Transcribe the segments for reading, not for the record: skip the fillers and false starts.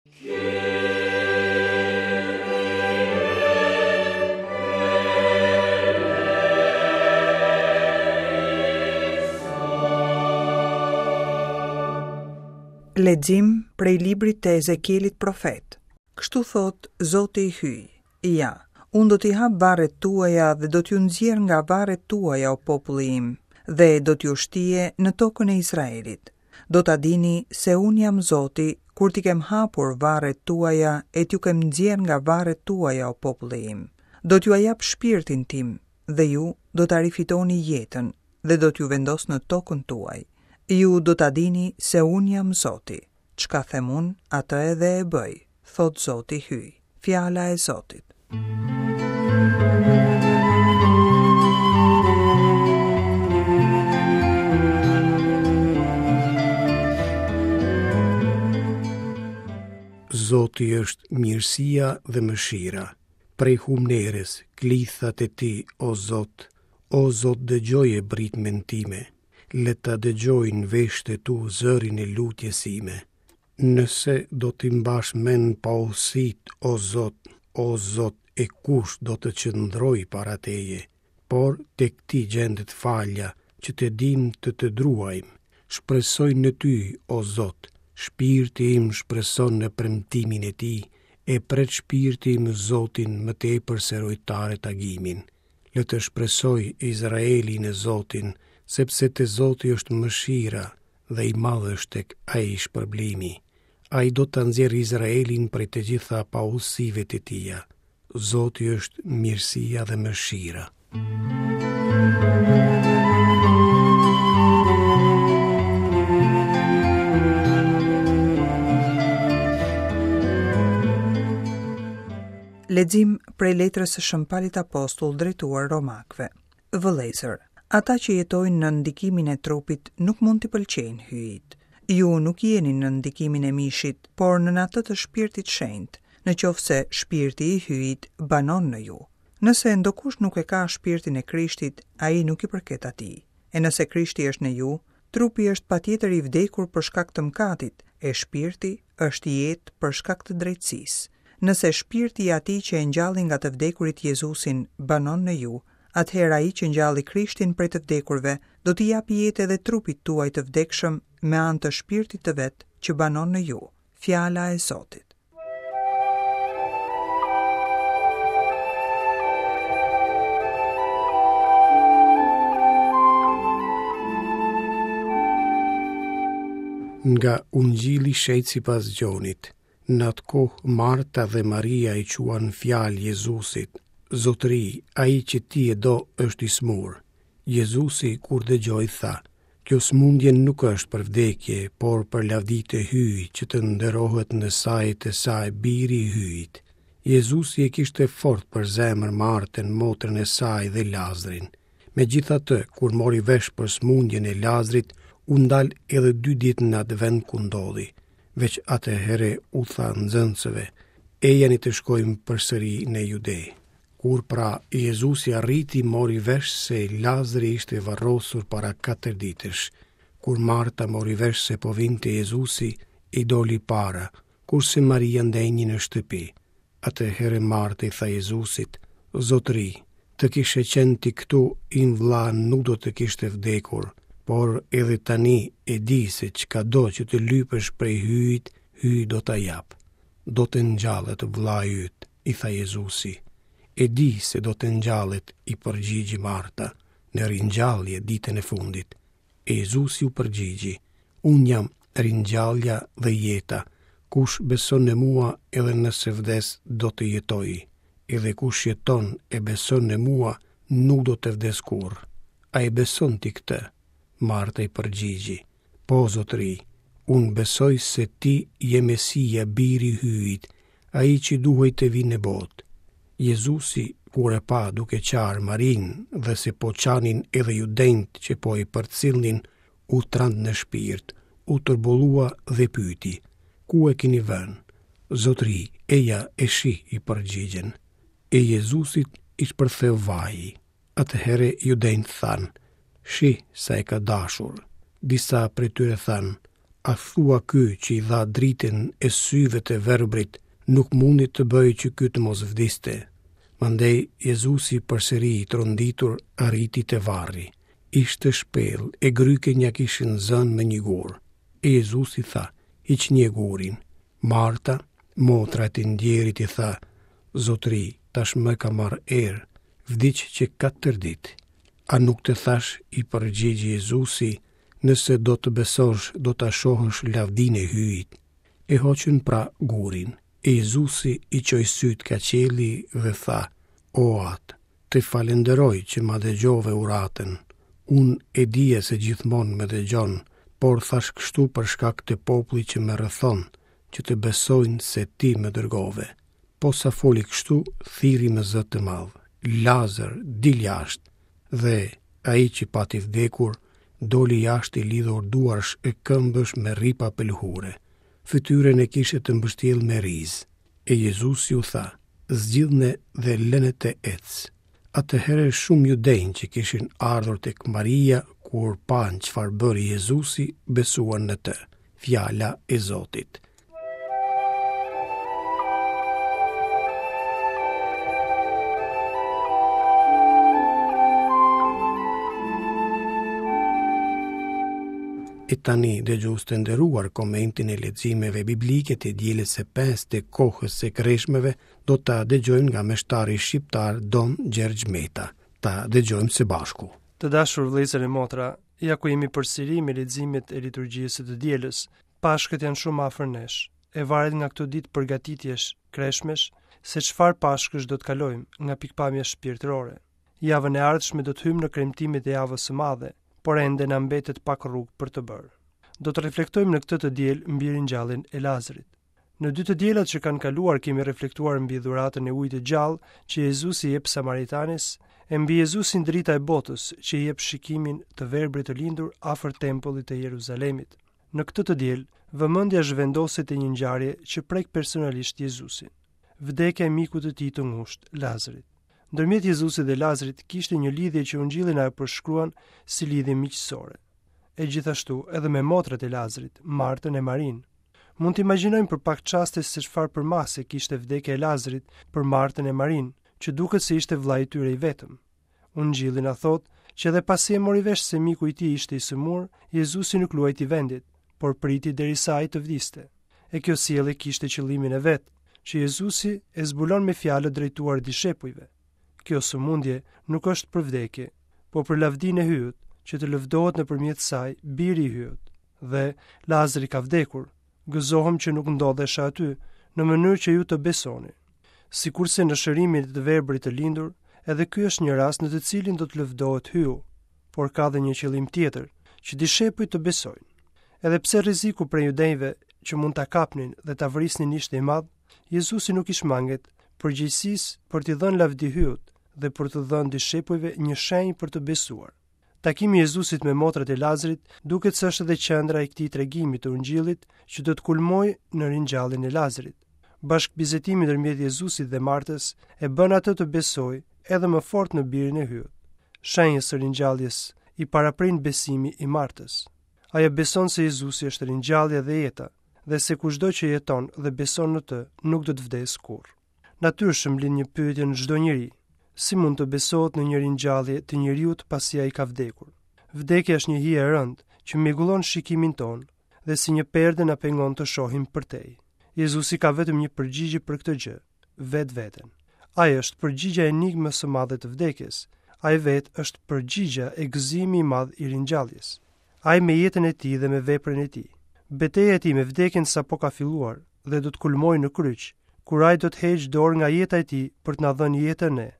Lexim prej librit të Ezekielit profet. Kështu thotë Zoti i Hyj, Ja, unë do t'i hap varret tuaja dhe do t'ju nxjerr nga varret tuaja o populli im, dhe do t'ju shtie në tokën e Izraelit. Do ta dini se unë jam Zoti kur t'i kem hapur varret tuaja e t'ju kem nxjerrë nga varret tuaja o populli im. Do t'jua jap shpirtin tim dhe ju do ta rifitoni jetën dhe do t'ju vendos në tokën tuaj. Ju do ta dini se unë jam Zoti. Çka them unë, atë edhe e bëj, thotë Zoti Hyj. Fjala e Zotit. Zoti është mirësia dhe mëshira. Prej humnerës, klithat e tij, o Zot, o Zot dëgjoje britmën time. Le ta dëgjojnë veshët e tu zërin e lutjes sime. Nëse do t'i mbash mend paudhësitë, o Zot, o Zot, e kush do të qëndrojë para teje? Por tek ti gjendet falja, që të dimë të të druajmë. Shpresoj në ty, o Zot, shpirti im shpreson në premtimin e tij, e pret shpirti im Zotin më tepër se rojtarët agimin. Le të shpresojë Izraeli në Zotin, sepse te Zoti është mëshira dhe i madh është tek ai shpërblimi. Ai do ta nxjerrë Izraelin prej të gjitha paudhësive të tija. Zoti është mirësia dhe mëshira. Lexim prej letrës së Shën Palit Apostull drejtuar Romakëve. Vëllezër, ata që jetojnë nën ndikimin e trupit nuk mund t'i pëlqejnë Hyjit. Ju nuk jeni nën ndikimin e mishit, por nën atë të Shpirtit Shenjt, në qoftë se Shpirti i Hyjit banon në ju. Nëse ndokush nuk e ka Shpirtin e Krishtit, ai nuk i përket atij. E nëse Krishti është në ju, trupi është patjetër i vdekur për shkak të mëkatit, e shpirti është jetë për shkak të drejtësisë. Nëse shpirti i atij që e ngjalli nga të vdekurit Jezusin banon në ju, atëherë ai që ngjalli Krishtin prej të vdekurve do t'i japë jetë edhe trupit tuaj të vdekshëm me anë të shpirtit të vet që banon në ju. Fjala e Zotit. Nga Ungjilli i Shenjtë sipas Gjonit, në atë kohë Marta dhe Maria i çuan fjalë Jezusit, Zotëri, ai që ti e do është i sëmurë. Jezusi kur dëgjoi tha, Kjo sëmundje nuk është për vdekje, por për lavdi të Hyjit, që të nderohet në sajë të saj Biri i Hyjit. Jezusi e kishte fort për zemër Martën, motrën e saj dhe Lazrin. Megjithatë, kur mori vesh për sëmundjen e Lazrit, u ndal edhe dy ditë në atë vend ku ndodhi. Veç atëherë u tha nxënësve, Ejani të shkojmë përsëri në Jude. Kur pra Jezusi arriti mori vesh se Lazri ishte varrosur para katër ditësh. Kur Marta mori vesh se po vinte Jezusi, i doli para, kurse Maria ndenji në shtëpi. Atëherë Marta i tha Jezusit, Zotëri, të kishe qenë ti këtu, im vëlla nuk do të kishte vdekur, por edhe tani e di se çkado që të lypësh prej Hyjit, Hyji do ta japë. Do të ngjallet vëllai yt, i tha Jezusi. E di se do të ngjallet, i përgjigji Marta, në ringjallje ditën e fundit. E Jezusi u përgjigji, Unë jam ringjallja dhe jeta, kush beson në mua edhe nëse vdes do të jetojë, edhe kush jeton e beson në mua nuk do të vdesë kurrë. A e beson ti këtë? Marta i përgjigji, Po, zotëri, unë besoj se ti je Mesia, biri i Hyjit, ai që duhej të vijë në botë. Jezusi, kur e pa duke qarë Marinë dhe se po qanin edhe judenjtë që po e përcillnin, u trand në shpirt, u turbullua dhe pyeti, Ku e keni vënë? Zotëri, eja e shih, i përgjigjën. E Jezusit i shpërtheu vaji. Atëherë judenjtë thanë, Shih sa e ka dashur. Disa prej tyre thanë, A thua ky që i dha dritën e syve të verbrit, nuk mundi të bëjë që ky të mos vdiste? Mandej Jezusi përsëri i tronditur arriti te varri. Ishte shpellë e grykën ia kishin zënë me një gur. E Jezusi tha, hiqnie gurin. Marta, motra e të ndjerit i tha, Zotëri, tashmë ka marrë erë, vdiq që katër ditë. A nuk të thashë, i përgjigj Jezusi, nëse do të besosh, do ta shohësh lavdinë e Hyjit. E hoqën pra gurin. E Jezusi i çoi sytë ka qielli dhe tha, O Atë, të falënderoj që ma dëgjove uratën. Unë e dija se gjithmonë më dëgjon, por thashë kështu për shkak të popullit që më rrethon, që të besojnë se ti më dërgove. Posa foli kështu, thirri me zë të madh, Lazër, dil jashtë! Dhe ai që pati vdekur, doli jashtë i lidhur duarsh e këmbësh me rripa pëlhure. Fytyrën e kishte të mbështjellë me rizë. E Jezusi u tha, zgjidhne dhe lëne të ecë. Atëherë shumë judenj që kishin ardhur tek Maria, kur panë çfarë bëri Jezusi, besuan në të. Fjala e Zotit. E tani, dëgjues të nderuar, komentin e leximeve biblike të dielës së pestë të kohës së kreshmeve do ta dëgjojmë nga meshtari shqiptar Dom Gjergj Meta. Ta dëgjojmë së bashku. Të dashur vëllezër e motra, ja ku jemi përsëri me leximet e liturgjisë së të dielës. Pashkët janë shumë afër nesh. E varet nga këto ditë përgatitjesh, kreshmesh, se çfarë Pashkësh do të kalojmë nga pikëpamja shpirtërore. Javën e ardhshme do të hyjmë në kremtimet e javës së madhe, por ende na mbetet pak rrugë për të bërë. Do të reflektojmë në këtë të diel mbi ringjalljen e Lazrit. Në dy të dielat që kanë kaluar kemi reflektuar mbi dhuratën e ujit të gjallë që Jezusi i jep Samaritanes, e mbi Jezusin drita e botës që i jep shikimin të verbrit të lindur afër tempullit të Jeruzalemit. Në këtë të diel, vëmendja zhvendoset te një ngjarje që prek personalisht Jezusin. Vdekja e mikut të tij të ngushtë, Lazrit. Ndërmjet Jezusit dhe Lazrit kishte një lidhje që Ungjilli na e përshkruan si lidhje miqësore. E gjithashtu edhe me motrat e Lazrit, Martën e Marinë. Mund të imagjinojmë për pak çaste se çfarë përmase kishte vdekja e Lazrit për Martën e Marinë, që duket se ishte vëllai i tyre i vetëm. Ungjilli na thotë që edhe pasi e mori vesh se miku i tij ishte i sëmurë, Jezusi nuk luajti vendit, por priti derisa ai të vdiste. E kjo sjellje kishte qëllimin e vet, që Jezusi e zbulon me fjalët drejtuar dishepujve. Kjo sëmundje nuk është për vdekje, por për lavdinë e Hyjit, që të lëvdohet nëpërmjet saj biri i Hyjit. Dhe Lazri ka vdekur. Gëzohem që nuk ndodhesha aty, në mënyrë që ju të besoni. Sikurse në shërimin e të verbrit të lindur, edhe ky është një rast në të cilin do të lëvdohet Hyu, por ka dhe një qëllim tjetër, që dishepujt të besojnë. Edhe pse rreziku prej judenjve që mund ta kapnin dhe ta vrisnin ishte i madh, Jezusi nuk i shmanget përgjegjësisë për t'i dhënë lavdi Hyut dhe për t'u dhënë dishepujve një shenjë për të besuar. Takimi i Jezusit me motrat e Lazrit duket se është edhe qendra e këtij tregimi të Ungjillit që do të kulmojë në ringjalljen e Lazrit. Bashkëbisedimi ndërmjet Jezusit dhe Martës e bën atë të besojë edhe më fort në birin e Hyut. Shenjës së ringjalljes i paraprin besimi i Martës. Ajo beson se Jezusi është ringjallja dhe jeta dhe se kushdo që jeton dhe beson në të nuk do të vdesë kurrë. Natyrshëm lind një pyetje në çdo njeri, si mund të besohet në një ringjallje të njeriut pasi ai ka vdekur? Vdekja është një hije e rëndë që mjegullon shikimin tonë dhe si një perde na pengon të shohim përtej. Jezusi ka vetëm një përgjigje për këtë gjë, vetveten. Ai është përgjigja e enigmës së madhe të vdekjes. Ai vetë është përgjigja e gëzimi i madh i ringjalljes. Ai me jetën e tij dhe me veprën e tij. Beteja e tij me vdekjen sapo ka filluar dhe do të kulmojë në kryq, kur ai do të heqë dorë nga jeta e tij për të na dhënë jetën ne.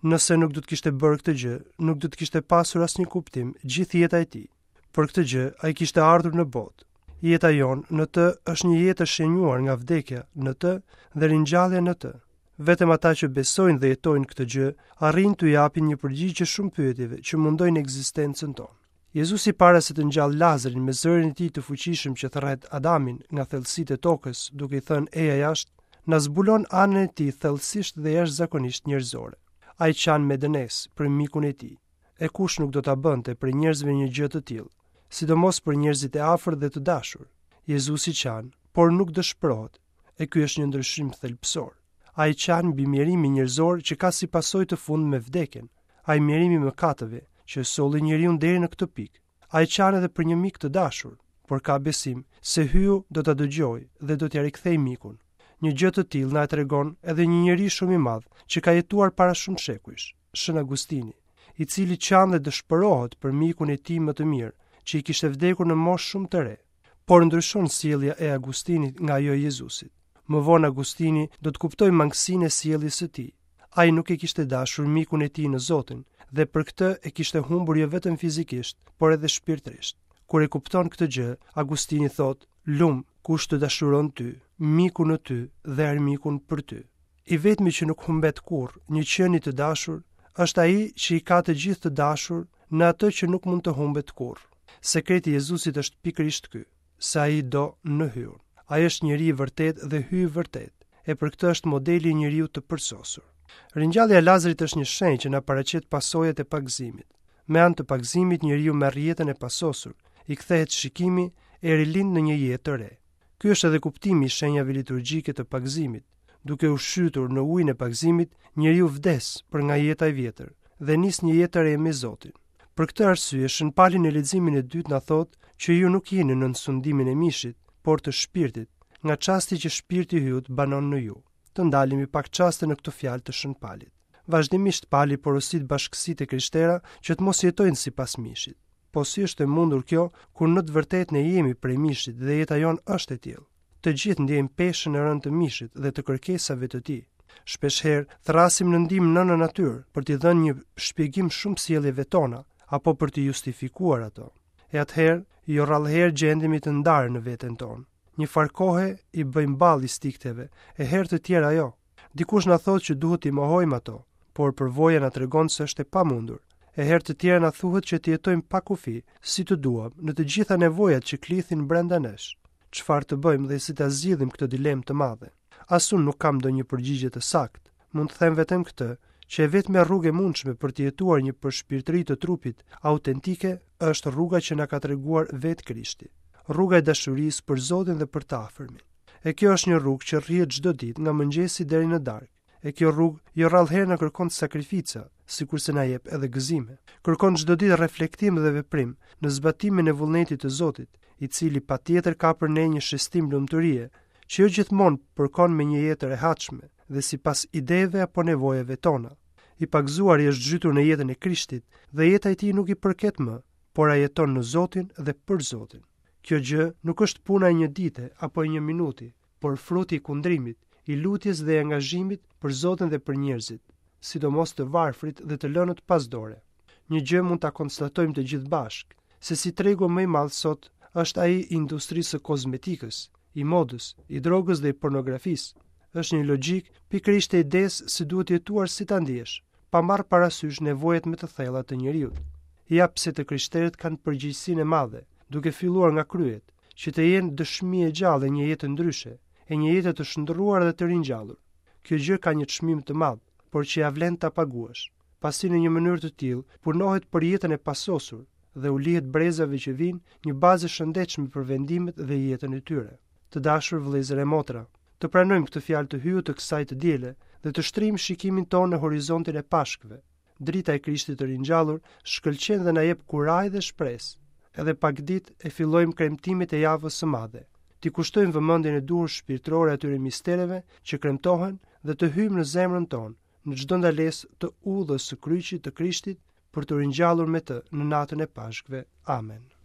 Nëse nuk do të kishte bërë këtë gjë, nuk do të kishte pasur asnjë kuptim gjithë jeta e tij. Për këtë gjë ai kishte ardhur në botë. Jeta jonë në të është një jetë e shenjuar nga vdekja në të dhe ringjallja në të. Vetëm ata që besojnë dhe jetojnë këtë gjë, arrijnë t'u japin një përgjigje shumë pyetjeve që mundojnë ekzistencën tonë. Jezusi para se të ngjallë Lazrin me zërin e tij të fuqishëm që thërret Adamin nga thellësitë e tokës, duke i thënë eja jashtë, na zbulon anën e tij thellësisht dhe jashtëzakonisht njerëzore. Ai qan me dënesë për mikun e tij. E kush nuk do ta bënte prej njerëzve një gjë të tillë, sidomos për njerëzit e afërt dhe të dashur. Jezusi qan, por nuk dëshpërohet, e ky është një ndryshim thelbësor. Ai qan mbi mjerimin njerëzor që ka si pasojë të fundme vdekjen. Ai mjerim i mëkateve që e solli njeriun deri në këtë pikë. Ai qan edhe për një mik të dashur, por ka besim se Hyu do ta dëgjojë dhe do t'ia rikthejë mikun. Një gjë të tillë na e tregon edhe një njeri shumë i madh që ka jetuar para shumë shekujsh, Shën Agustini, i cili qan dhe dëshpërohet për mikun e tij më të mirë, që i kishte vdekur në moshë shumë të re. Por ndryshon sjellja e Agustinit nga ajo e Jezusit. Më vonë Agustini do të kuptojë mangësinë e sjelljes së tij. Ai nuk e kishte dashur mikun e tij në Zotin dhe për këtë e kishte humbur jo vetëm fizikisht, por edhe shpirtërisht. Kur e kupton këtë gjë, Agustini thotë: "Lum kush të dashuron ty, mikun në ty dhe armikun për ty." I vetmi që nuk humbet kurrë një qenie të dashur është ai që i ka të gjithë të dashur në atë që nuk mund të humbet kurrë. Sekreti i Jezusit është pikërisht ky, se ai do në Hyun. Ai është njeri i vërtetë dhe Hy i vërtetë, e për këtë është modeli i njeriut të përsosur. Ringjallja e Lazarit është një shenjë që na paraqet pasojat e pagëzimit. Me anë të pagëzimit njeriu merr jetën e pasosur, i kthehet shikimi e rilind në një jetë të re. Ky është edhe kuptimi i shenjave liturgjike të pagëzimit. Duke u zhytur në ujin e pagëzimit, njeriu vdes për nga jeta e vjetër dhe nis një jetë të re me Zotin. Për këtë arsye, Shën Pali në leximin e dytë na thotë që ju nuk jeni nën sundimin e mishit, por të shpirtit, nga çasti që shpirti i Hyut banon në ju. Të ndalemi pak çaste në këto fjalë të Shën Palit. Vazhdimisht Pali porosit bashkësitë e krishtera që të mos jetojnë sipas mishit. Po si është e mundur kjo kur në të vërtetë ne jemi prej mishit dhe jeta jonë është e tillë? Të gjithë ndjejmë peshën e rëndë të mishit dhe të kërkesave të tij. Shpeshherë thërrasim në ndihmë nënën natyrë për t'i dhënë një shpjegim shumë sjelljeve tona apo për t'i justifikuar ato. E atëherë, jo rrallëherë gjendemi të ndarë në veten tonë. Një farë kohe i bëjmë ballë instinkteve, e herë të tjera jo. Dikush na thotë që duhet t'i mohojmë ato, por përvoja na tregon se është e pamundur. E herë të tjera na thuhet që të jetojmë pa kufi, si të duam, në të gjitha nevojat që klithin brenda nesh. Çfarë të bëjmë dhe si ta zgjidhim këtë dilemë të madhe? As unë nuk kam ndonjë përgjigje të saktë. Mund të them vetëm këtë, që e vetmja rrugë e mundshme për të jetuar një përshpirtëri të trupit autentike është rruga që na ka treguar vetë Krishti. Rruga e dashurisë për Zotin dhe për të afërmin. E kjo është një rrugë që rrihet çdo ditë nga mëngjesi deri në darkë. E kjo rrugë jo rrallëherë na kërkon sakrifica, sikurse na jep edhe gëzime. Kërkon çdo ditë reflektim dhe veprim në zbatimin e vullnetit të Zotit, i cili patjetër ka për ne një shestim lumturie, që jo gjithmonë përkon me një jetë të rehatshme dhe sipas ideve apo nevojave tona. I pagëzuari është zhytur në jetën e Krishtit dhe jeta e tij nuk i përket më, por ai jeton në Zotin dhe për Zotin. Kjo gjë nuk është puna e një dite apo e një minuti, por fruti i kundrimit, i lutjes dhe i angazhimit për Zotin dhe për njerëzit, sidomos të varfrit dhe të lënët pas dore. Një gjë mund ta konstatojmë të gjithë bashkë, se si tregu më i madh sot është ai i industrisë së kozmetikës, i modës, i drogës dhe i pornografisë. Është një logjikë pikërisht e idesë se duhet jetuar si ta ndiesh, pa marrë parasysh nevojat më të thella të njeriut. Ja pse të krishterët kanë përgjegjësinë e madhe, duke filluar nga kryet, që të jenë dëshmi e gjallë e një jete ndryshe, e një jete të shndërruar dhe të ringjallur. Kjo gjë ka një çmim të madh, por që ia vlen ta paguash, pasi në një mënyrë të tillë punohet për jetën e pasosur dhe u lihet brezave që vijnë një bazë e shëndetshme për vendimet dhe jetën e tyre. Të dashur vëllezër e motra, të pranojmë këtë fjalë të Hyut të kësaj të diele dhe të shtrijmë shikimin tonë në horizontin e Pashkëve. Drita e Krishtit të ringjallur shkëlqen dhe na jep kurajë dhe shpresë. Edhe pak ditë e fillojmë kremtimet e javës së madhe. T'i kushtojmë vëmendjen e duhur shpirtërore atyre mistereve që kremtohen dhe të hyjmë në zemrën tonë, në çdo ndalesë të udhës së kryqit të Krishtit për t'u ringjallur me të në natën e Pashkëve. Amen.